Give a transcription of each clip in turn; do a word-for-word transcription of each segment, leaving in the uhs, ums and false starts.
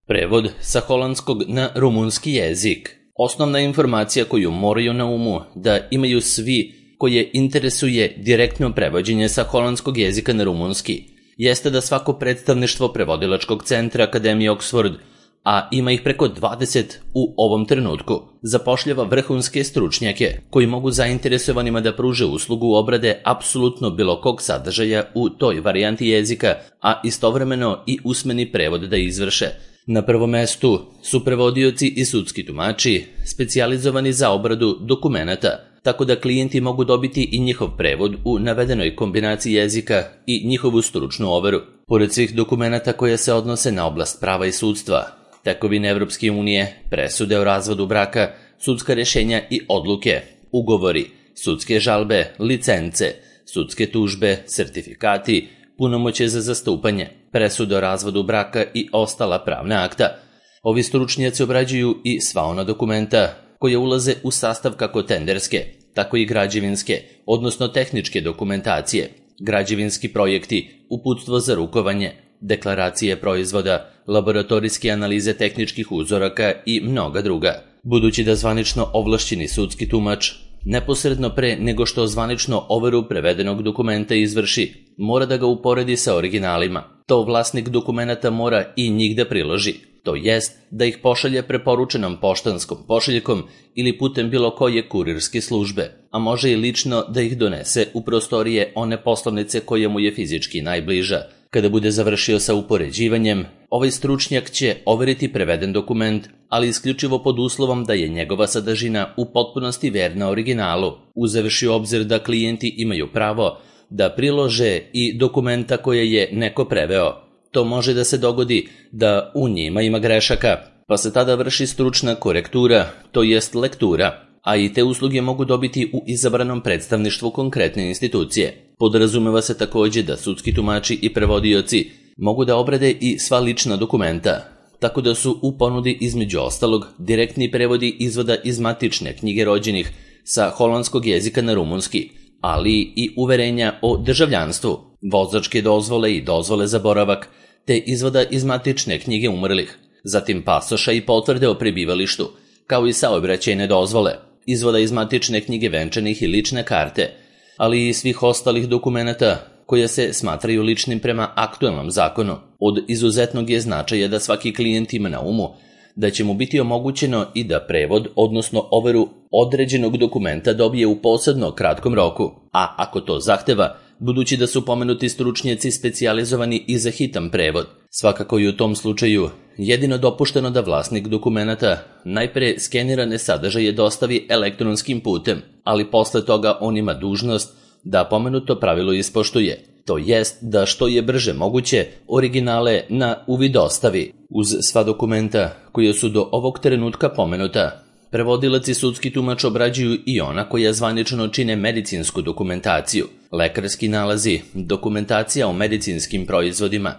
Prevod sa holandskog na rumunski jezik. Osnovna informacija koju moraju na umu da imaju svi koje interesuje direktno prevođenje sa holandskog jezika na rumunski jeste da svako predstavništvo prevodilačkog centra Akademije Oxford, a ima ih preko dvadeset u ovom trenutku, zapošljava vrhunske stručnjake koji mogu zainteresovanima da pruže uslugu obrade apsolutno bilo kog sadržaja u toj varijanti jezika, a istovremeno i usmeni prevod da izvrše. Na prvom mestu su prevodioci i sudski tumači, specijalizovani za obradu dokumenata, tako da klijenti mogu dobiti i njihov prevod u navedenoj kombinaciji jezika i njihovu stručnu overu. Pored svih dokumenata koje se odnose na oblast prava i sudstva, tekovine Evropske unije, presude o razvodu braka, sudska rješenja i odluke, ugovori, sudske žalbe, licence, sudske tužbe, sertifikati, punomoćje za zastupanje, presude o razvodu braka i ostala pravna akta. Ovi stručnjaci obrađuju i sva ona dokumenta koje ulaze u sastav kako tenderske, tako i građevinske, odnosno tehničke dokumentacije, građevinski projekti, uputstvo za rukovanje, deklaracije proizvoda, laboratorijske analize tehničkih uzoraka i mnoga druga. Budući da zvanično ovlašćeni sudski tumač neposredno pre nego što zvanično overu prevedenog dokumenta izvrši, mora da ga uporedi sa originalima. To vlasnik dokumenata mora i njih da priloži, to jest da ih pošalje preporučenom poštanskom pošiljkom ili putem bilo koje kurirske službe, a može i lično da ih donese u prostorije one poslovnice koja mu je fizički najbliža. Kada bude završio sa upoređivanjem, ovaj stručnjak će overiti preveden dokument, ali isključivo pod uslovom da je njegova sadržina u potpunosti verna originalu, uzevši u obzir da klijenti imaju pravo da prilože i dokumenta koje je neko preveo. To može da se dogodi da u njima ima grešaka, pa se tada vrši stručna korektura, to jest lektura, a i te usluge mogu dobiti u izabranom predstavništvu konkretne institucije. Podrazumeva se također da sudski tumači i prevodioci mogu da obrade i sva lična dokumenta, tako da su u ponudi između ostalog direktni prevodi izvoda iz matične knjige rođenih sa holandskog jezika na rumunski, ali i uverenja o državljanstvu, vozačke dozvole i dozvole za boravak, te izvoda iz matične knjige umrlih, zatim pasoša i potvrde o prebivalištu, kao i saobraćajne dozvole, izvoda iz matične knjige venčanih i lične karte, ali i svih ostalih dokumenata koje se smatraju ličnim prema aktuelnom zakonu. Od izuzetnog je značaja da svaki klijent ima na umu da će mu biti omogućeno i da prevod, odnosno overu određenog dokumenta dobije u posebno kratkom roku, a ako to zahteva, budući da su pomenuti stručnjaci specijalizovani i za hitan prevod. Svakako i u tom slučaju jedino dopušteno da vlasnik dokumenata najpre skenirane sadržaje dostavi elektronskim putem, ali posle toga on ima dužnost da pomenuto pravilo ispoštuje, to jest da što je brže moguće originale na uvid dostavi. Uz sva dokumenta koja su do ovog trenutka pomenuta, prevodilac i sudski tumač obrađuju i ona koja zvanično čine medicinsku dokumentaciju, lekarski nalazi, dokumentacija o medicinskim proizvodima,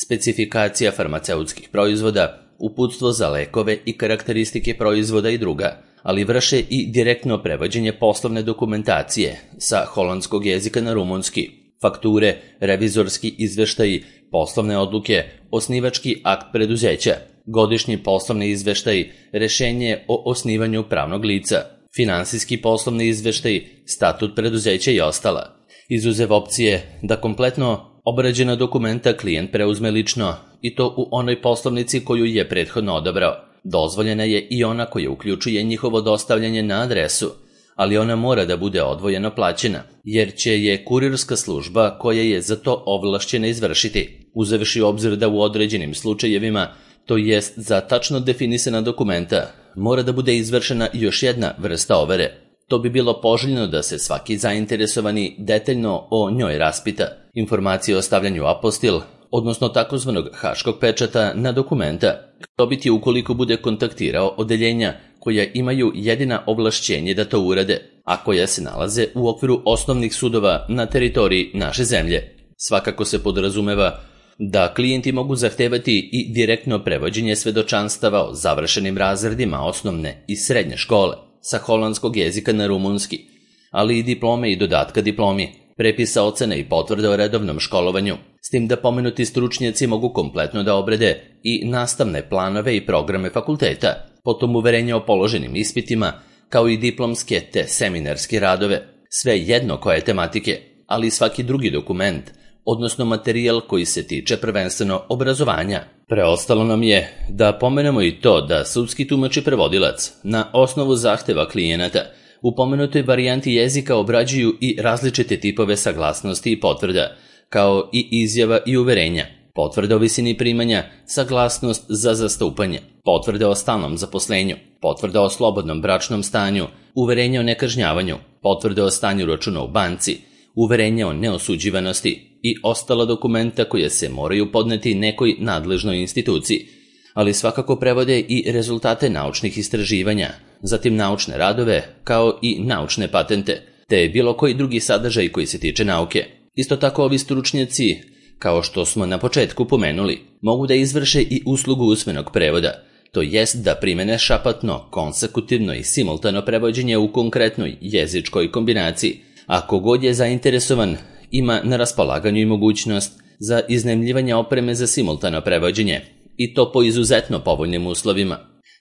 specifikacija farmaceutskih proizvoda, uputstvo za lekove i karakteristike proizvoda i druga, ali vrše i direktno prevođenje poslovne dokumentacije sa holandskog jezika na rumunski, fakture, revizorski izveštaji, poslovne odluke, osnivački akt preduzeća, godišnji poslovni izveštaj, rešenje o osnivanju pravnog lica, finansijski poslovni izveštaj, statut preduzeća i ostala. Izuzev opcije da kompletno obrađena dokumenta klijent preuzme lično i to u onoj poslovnici koju je prethodno odabrao. Dozvoljena je i ona koja uključuje njihovo dostavljanje na adresu, ali ona mora da bude odvojeno plaćena, jer će je kurirska služba koja je za to ovlašćena izvršiti, uzevši obzir da u određenim slučajevima, to jest za tačno definisana dokumenta, mora da bude izvršena još jedna vrsta overe. To bi bilo poželjno da se svaki zainteresovani detaljno o njoj raspita. Informacije o stavljanju apostil, odnosno takozvanog haškog pečata na dokumenta, dobiti ukoliko bude kontaktirao odeljenja koja imaju jedina ovlašćenje da to urade, a koja se nalaze u okviru osnovnih sudova na teritoriji naše zemlje. Svakako se podrazumeva da klijenti mogu zahtevati i direktno prevođenje svedočanstava o završenim razredima osnovne i srednje škole sa holandskog jezika na rumunski, ali i diplome i dodatka diplomi, prepisa ocena i potvrde o redovnom školovanju, s tim da pomenuti stručnjaci mogu kompletno da obrede i nastavne planove i programe fakulteta, potom uverenje o položenim ispitima, kao i diplomske te seminarske radove, sve jedno koje tematike, ali i svaki drugi dokument, odnosno materijal koji se tiče prvenstveno obrazovanja. Preostalo nam je da pomenemo i to da sudski tumač i prevodilac na osnovu zahteva klijenata u pomenutoj varijanti jezika obrađuju i različite tipove saglasnosti i potvrda, kao i izjava i uverenja, potvrda o visini primanja, saglasnost za zastupanje, potvrde o stalnom zaposlenju, potvrda o slobodnom bračnom stanju, uverenje o nekažnjavanju, potvrde o stanju računa u banci, uverenje o neosuđivanosti i ostala dokumenta koje se moraju podneti nekoj nadležnoj instituciji, ali svakako prevode i rezultate naučnih istraživanja, zatim naučne radove, kao i naučne patente, te bilo koji drugi sadržaj koji se tiče nauke. Isto tako ovi stručnjaci, kao što smo na početku pomenuli, mogu da izvrše i uslugu usmenog prevoda, to jest da primene šapatno, konsekutivno i simultano prevođenje u konkretnoj jezičkoj kombinaciji. Ako god je zainteresovan, ima na raspolaganju i mogućnost za iznajmljivanje opreme za simultano prevođenje, i to po izuzetno povoljnim uslovima.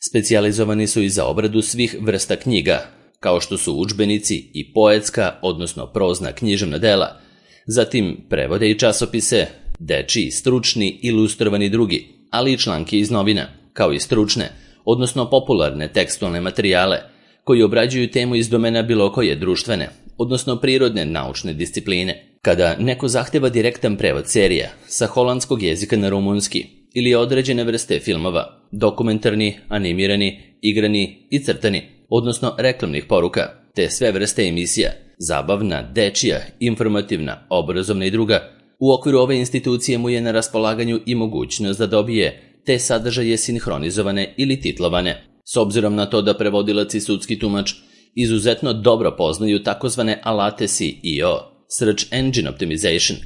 Specijalizovani su i za obradu svih vrsta knjiga, kao što su udžbenici i poetska, odnosno prozna književna dela, zatim prevode i časopise, dečiji, stručni, ilustrovani drugi, ali i članke iz novina, kao i stručne, odnosno popularne tekstualne materijale, koji obrađuju temu iz domena bilo koje društvene, odnosno prirodne naučne discipline. Kada neko zahteva direktan prevod serija sa holandskog jezika na rumunski ili određene vrste filmova, dokumentarni, animirani, igrani i crtani, odnosno reklamnih poruka, te sve vrste emisija, zabavna, dečija, informativna, obrazovna i druga, u okviru ove institucije mu je na raspolaganju i mogućnost da dobije te sadržaje sinhronizovane ili titlovane. S obzirom na to da prevodilac i sudski tumač izuzetno dobro poznaju takozvane alate S E O, Search Engine Optimization,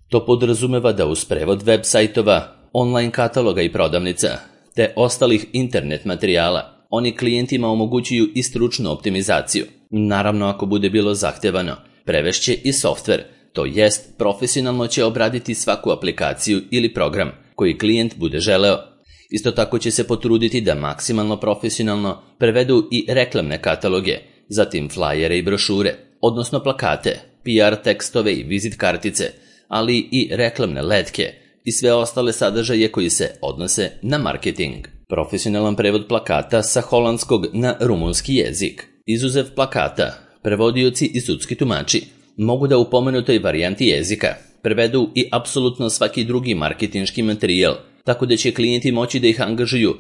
to podrazumeva da uz prevod web sajtova, online kataloga i prodavnica, te ostalih internet materijala, oni klijentima omogućuju i stručnu optimizaciju. Naravno, ako bude bilo zahtevano, prevešće i softver, to jest profesionalno će obraditi svaku aplikaciju ili program koji klijent bude želeo. Isto tako će se potruditi da maksimalno profesionalno prevedu i reklamne kataloge, zatim flajere i brošure, odnosno plakate, P R tekstove i vizit kartice, ali i reklamne letke i sve ostale sadržaje koji se odnose na marketing. Profesionalan prevod plakata sa holandskog na rumunski jezik. Izuzev plakata, prevodioci i sudski tumači mogu da u pomenutoj varijanti jezika prevedu i apsolutno svaki drugi marketinški materijal, tako da će klijenti moći da ih angažuju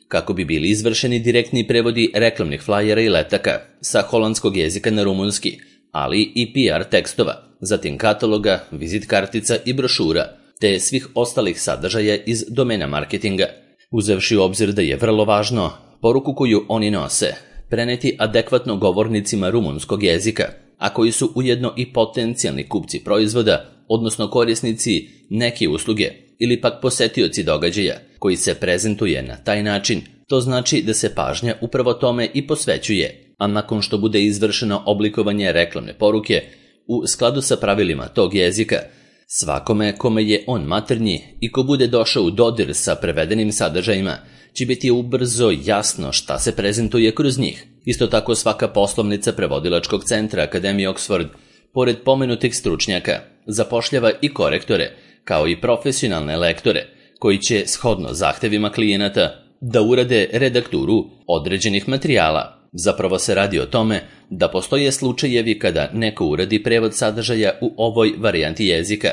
kako bi bili izvršeni direktni prevodi reklamnih flajera i letaka sa holandskog jezika na rumunski, ali i P R tekstova, zatim kataloga, vizit kartica i brošura, te svih ostalih sadržaja iz domena marketinga. Uzevši u obzir da je vrlo važno poruku koju oni nose preneti adekvatno govornicima rumunskog jezika, a koji su ujedno i potencijalni kupci proizvoda, odnosno korisnici neke usluge ili pak posetioci događaja koji se prezentuje na taj način, to znači da se pažnja upravo tome i posvećuje, a nakon što bude izvršeno oblikovanje reklamne poruke u skladu sa pravilima tog jezika, svakome kome je on maternji i ko bude došao u dodir sa prevedenim sadržajima, će biti ubrzo jasno šta se prezentuje kroz njih. Isto tako svaka poslovnica prevodilačkog centra Akademije Oxford, pored pomenutih stručnjaka, zapošljava i korektore, kao i profesionalne lektore, koji će, shodno zahtevima klijenata, da urade redakturu određenih materijala. Zapravo se radi o tome da postoje slučajevi kada neko uradi prevod sadržaja u ovoj varijanti jezika,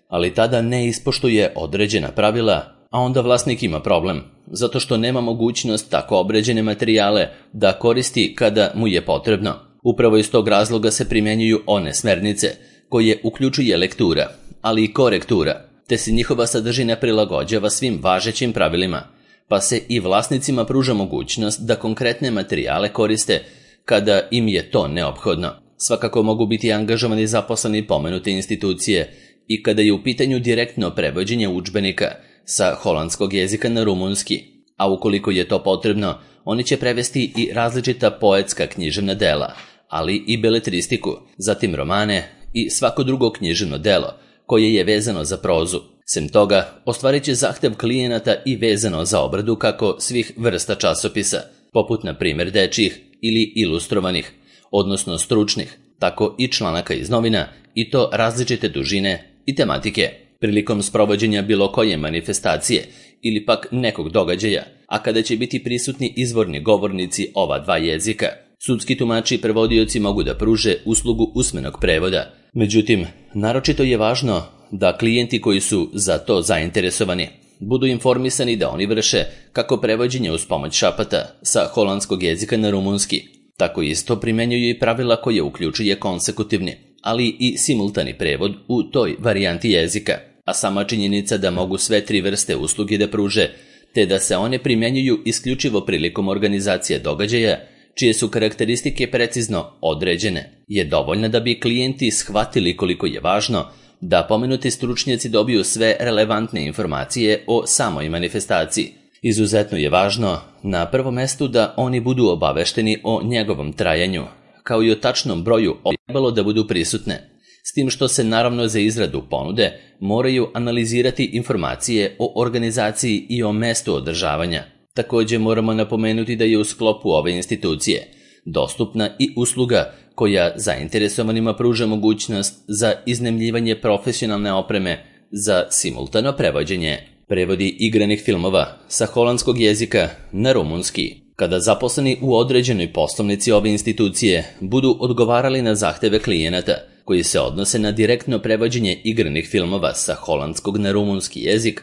ali tada ne ispoštuje određena pravila, a onda vlasnik ima problem, zato što nema mogućnost tako obređene materijale da koristi kada mu je potrebno. Upravo iz tog razloga se primjenjuju one smernice koje uključuje lektura, ali i korektura, te se njihova sadržina prilagođava svim važećim pravilima, pa se i vlasnicima pruža mogućnost da konkretne materijale koriste kada im je to neophodno. Svakako mogu biti angažovani zaposleni pomenute institucije i kada je u pitanju direktno prevođenje udžbenika sa holandskog jezika na rumunski, a ukoliko je to potrebno, oni će prevesti i različita poetska književna dela, ali i beletristiku, zatim romane i svako drugo književno delo koje je vezano za prozu. Sem toga, ostvarit će zahtev klijenata i vezano za obradu kako svih vrsta časopisa, poput na primjer dečjih ili ilustrovanih, odnosno stručnih, tako i članaka iz novina, i to različite dužine i tematike. Prilikom sprovođenja bilo koje manifestacije ili pak nekog događaja, a kada će biti prisutni izvorni govornici ova dva jezika, sudski tumači i prevodioci mogu da pruže uslugu usmenog prevoda. Međutim, naročito je važno da klijenti koji su za to zainteresovani budu informisani da oni vrše kako prevođenje uz pomoć šapata sa holandskog jezika na rumunski, tako isto primenjuju i pravila koje uključuje konsekutivni, ali i simultani prevod u toj varijanti jezika, a sama činjenica da mogu sve tri vrste usluge da pruže, te da se one primenjuju isključivo prilikom organizacije događaja, čije su karakteristike precizno određene, je dovoljna da bi klijenti shvatili koliko je važno da pomenuti stručnjaci dobiju sve relevantne informacije o samoj manifestaciji. Izuzetno je važno na prvom mestu da oni budu obavešteni o njegovom trajanju, kao i o tačnom broju trebalo da budu prisutne, s tim što se naravno za izradu ponude moraju analizirati informacije o organizaciji i o mestu održavanja. Također moramo napomenuti da je u sklopu ove institucije dostupna i usluga koja zainteresovanima pruža mogućnost za iznajmljivanje profesionalne opreme za simultano prevođenje. Prevodi igranih filmova sa holandskog jezika na rumunski. Kada zaposleni u određenoj poslovnici ove institucije budu odgovarali na zahteve klijenata koji se odnose na direktno prevođenje igranih filmova sa holandskog na rumunski jezik,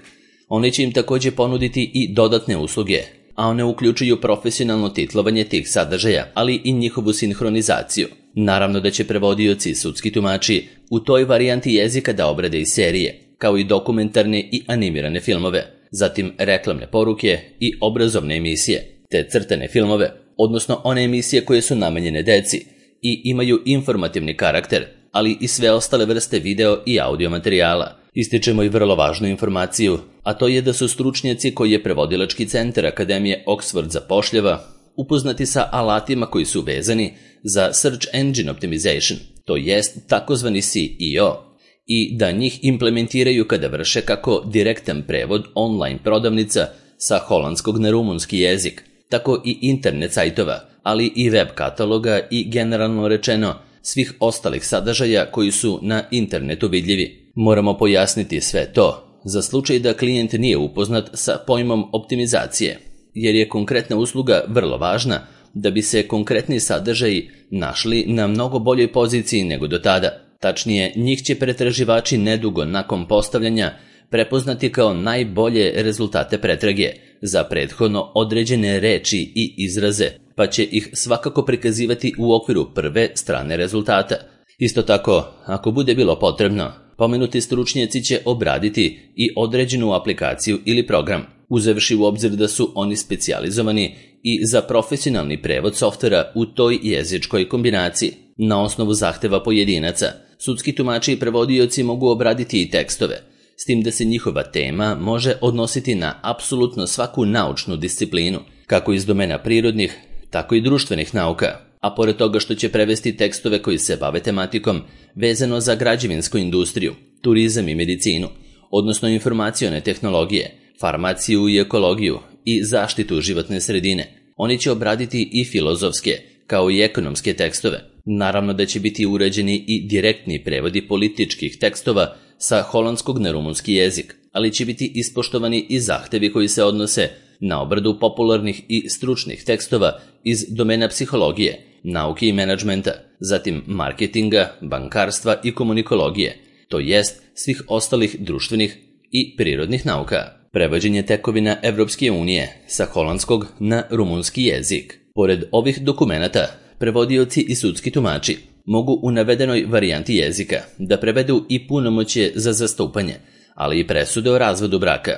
oni će im također ponuditi i dodatne usluge, a one uključuju profesionalno titlovanje tih sadržaja, ali i njihovu sinhronizaciju. Naravno da će prevodioci i sudski tumači u toj varijanti jezika da obrade i serije, kao i dokumentarne i animirane filmove, zatim reklamne poruke i obrazovne emisije, te crtane filmove, odnosno one emisije koje su namenjene deci i imaju informativni karakter, ali i sve ostale vrste video i audio materijala. Ističemo i vrlo važnu informaciju, a to je da su stručnjaci koji je prevodilački centar Akademije Oxford zapošljava upoznati sa alatima koji su vezani za Search Engine Optimization, to jest takozvani C E O, i da njih implementiraju kada vrše kako direktan prevod online prodavnica sa holandskog na rumunski jezik, tako i internet sajtova, ali i web kataloga i generalno rečeno svih ostalih sadržaja koji su na internetu vidljivi. Moramo pojasniti sve to za slučaj da klijent nije upoznat sa pojmom optimizacije, jer je konkretna usluga vrlo važna da bi se konkretni sadržaji našli na mnogo boljoj poziciji nego do tada. Tačnije, njih će pretraživači nedugo nakon postavljanja prepoznati kao najbolje rezultate pretrage za prethodno određene reči i izraze, pa će ih svakako prikazivati u okviru prve strane rezultata. Isto tako, ako bude bilo potrebno, pomenuti stručnjaci će obraditi i određenu aplikaciju ili program, uzevši u obzir da su oni specijalizovani i za profesionalni prevod softvera u toj jezičkoj kombinaciji. Na osnovu zahteva pojedinaca, sudski tumači i prevodioci mogu obraditi i tekstove, s tim da se njihova tema može odnositi na apsolutno svaku naučnu disciplinu, kako iz domena prirodnih, tako i društvenih nauka, a pored toga što će prevesti tekstove koji se bave tematikom vezano za građevinsku industriju, turizam i medicinu, odnosno informacione tehnologije, farmaciju i ekologiju i zaštitu životne sredine. Oni će obraditi i filozofske, kao i ekonomske tekstove. Naravno da će biti uređeni i direktni prevodi političkih tekstova sa holandskog na rumunski jezik, ali će biti ispoštovani i zahtevi koji se odnose na obradu popularnih i stručnih tekstova iz domena psihologije, nauke i menadžmenta, zatim marketinga, bankarstva i komunikologije, to jest svih ostalih društvenih i prirodnih nauka. Prevođenje tekovina Evropske unije sa holandskog na rumunski jezik. Pored ovih dokumenata, prevodioci i sudski tumači mogu u navedenoj varijanti jezika da prevedu i punomoćje za zastupanje, ali i presude o razvodu braka,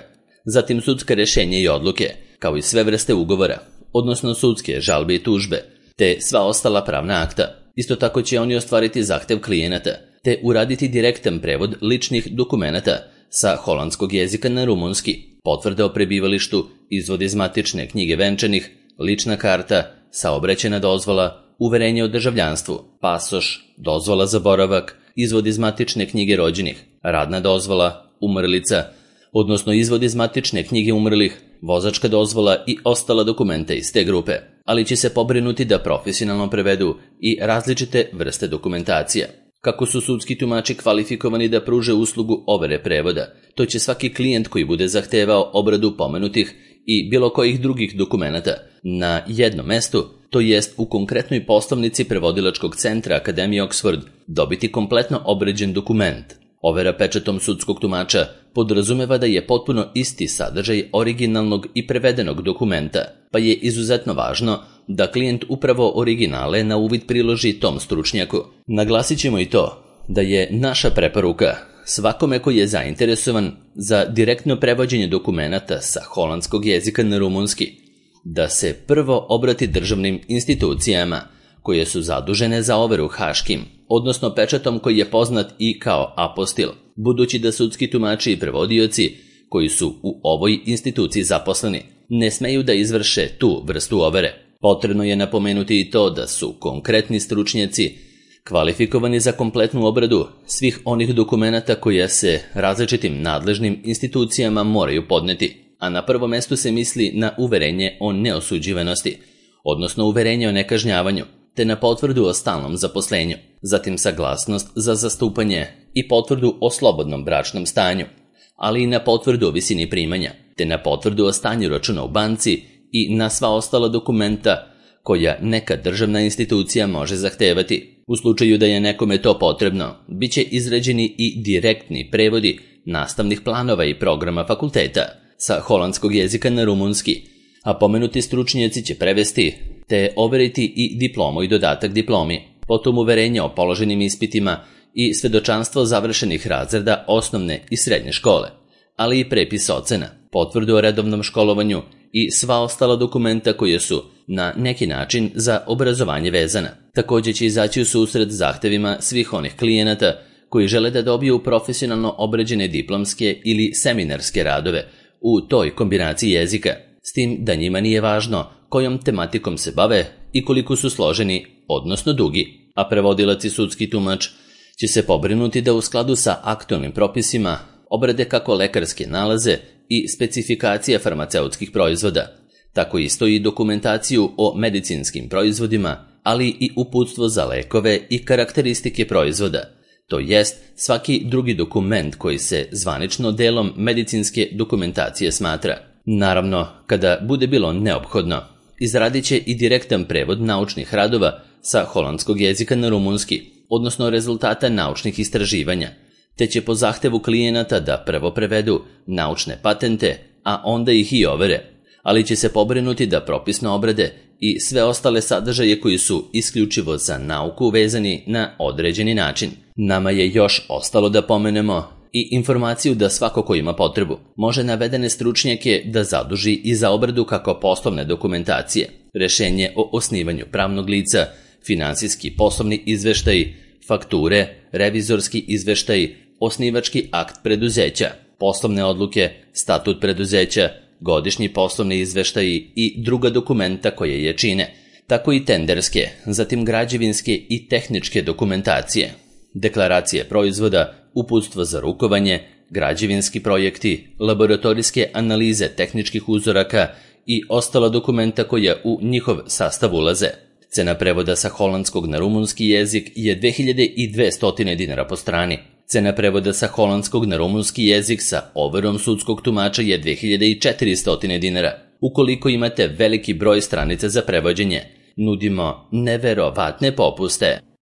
zatim sudska rješenja i odluke, kao i sve vrste ugovora, odnosno sudske žalbe i tužbe, te sva ostala pravna akta. Isto tako će oni ostvariti zahtev klijenata, te uraditi direktan prevod ličnih dokumenata sa holandskog jezika na rumunski, potvrda o prebivalištu, izvod iz matične knjige venčanih, lična karta, saobraćajna dozvola, uverenje o državljanstvu, pasoš, dozvola za boravak, izvod iz matične knjige rođenih, radna dozvola, umrlica, odnosno izvod iz matične knjige umrlih, vozačka dozvola i ostala dokumenta iz te grupe, ali će se pobrinuti da profesionalno prevedu i različite vrste dokumentacija. Kako su sudski tumači kvalifikovani da pruže uslugu overe prevoda, to će svaki klijent koji bude zahtevao obradu pomenutih i bilo kojih drugih dokumenata na jednom mestu, to jest u konkretnoj poslovnici prevodilačkog centra Akademije Oxford, dobiti kompletno obrađen dokument. Overa pečatom sudskog tumača podrazumeva da je potpuno isti sadržaj originalnog i prevedenog dokumenta, pa je izuzetno važno da klijent upravo originale na uvid priloži tom stručnjaku. Naglasit ćemo i to da je naša preporuka svakome koji je zainteresovan za direktno prevođenje dokumenata sa holandskog jezika na rumunski, da se prvo obrati državnim institucijama koje su zadužene za overu haškim, odnosno pečatom koji je poznat i kao apostil, budući da sudski tumači i prevodioci koji su u ovoj instituciji zaposleni ne smeju da izvrše tu vrstu overe. Potrebno je napomenuti i to da su konkretni stručnjaci kvalifikovani za kompletnu obradu svih onih dokumenata koje se različitim nadležnim institucijama moraju podneti, a na prvom mestu se misli na uverenje o neosuđivanosti, odnosno uverenje o nekažnjavanju, te na potvrdu o stalnom zaposlenju, zatim saglasnost za zastupanje i potvrdu o slobodnom bračnom stanju, ali i na potvrdu o visini primanja, te na potvrdu o stanju računa u banci i na sva ostala dokumenta koja neka državna institucija može zahtevati. U slučaju da je nekome to potrebno, bit će izrađeni i direktni prevodi nastavnih planova i programa fakulteta sa holandskog jezika na rumunski, a pomenuti stručnjaci će prevesti te overiti i diplomu i dodatak diplomi, potom uverenje o položenim ispitima i svedočanstvo završenih razreda osnovne i srednje škole, ali i prepis ocena, potvrdu o redovnom školovanju i sva ostala dokumenta koje su na neki način za obrazovanje vezana. Također će izaći u susret zahtevima svih onih klijenata koji žele da dobiju profesionalno obrađene diplomske ili seminarske radove u toj kombinaciji jezika, s tim da njima nije važno kojom tematikom se bave i koliko su složeni, odnosno dugi, a prevodilac i sudski tumač će se pobrinuti da u skladu sa aktualnim propisima obrade kako lekarske nalaze i specifikacije farmaceutskih proizvoda, tako isto i dokumentaciju o medicinskim proizvodima, ali i uputstvo za lekove i karakteristike proizvoda, to jest svaki drugi dokument koji se zvanično delom medicinske dokumentacije smatra. Naravno, kada bude bilo neophodno, izradit će i direktan prevod naučnih radova sa holandskog jezika na rumunski, odnosno rezultata naučnih istraživanja, te će po zahtevu klijenata da prvo prevedu naučne patente, a onda ih i overe, ali će se pobrinuti da propisno obrade i sve ostale sadržaje koji su isključivo za nauku vezani na određeni način. Nama je još ostalo da pomenemo i informaciju da svako ko ima potrebu može navedene stručnjake da zaduži i za obradu kako poslovne dokumentacije, rešenje o osnivanju pravnog lica, finansijski poslovni izveštaji, fakture, revizorski izveštaji, osnivački akt preduzeća, poslovne odluke, statut preduzeća, godišnji poslovni izveštaji i druga dokumenta koje je čine, tako i tenderske, zatim građevinske i tehničke dokumentacije, deklaracije proizvoda, uputstvo za rukovanje, građevinski projekti, laboratorijske analize tehničkih uzoraka i ostala dokumenta koja u njihov sastav ulaze. Cena prevoda sa holandskog na rumunski jezik je dve hiljade dvesta dinara po strani. Cena prevoda sa holandskog na rumunski jezik sa overom sudskog tumača je dve hiljade četiristo dinara. Ukoliko imate veliki broj stranica za prevođenje, nudimo neverovatne popuste.